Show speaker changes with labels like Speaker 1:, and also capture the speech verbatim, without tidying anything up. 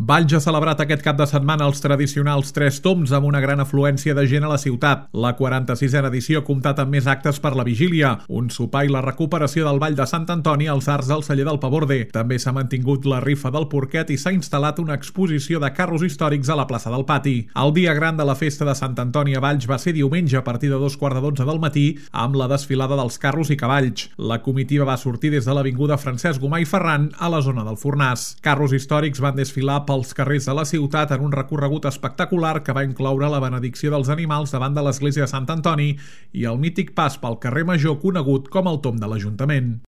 Speaker 1: Valls ha celebrat aquest cap de setmana els tradicionals Tres Tombs amb una gran afluència de gent a la ciutat. La quaranta-sisena edició ha comptat amb més actes per la vigília, un sopar i la recuperació del Ball de Sant Antoni als arcs del celler del Paborde. També s'ha mantingut la rifa del porquet i s'ha instal·lat una exposició de carros històrics a la plaça del Pati. El dia gran de la festa de Sant Antoni a Valls va ser diumenge a partir de dos quarts de dotze del matí amb la desfilada dels carros i cavalls. La comitiva va sortir des de l'avinguda Francesc Gomà i Ferran a la zona del Fornàs. Carros històrics van desfilar pels carrers de la ciutat en un recorregut espectacular que va incloure la benedicció dels animals davant de l'església de Sant Antoni i el mític pas pel carrer Major conegut com el Tomb de l'Ajuntament.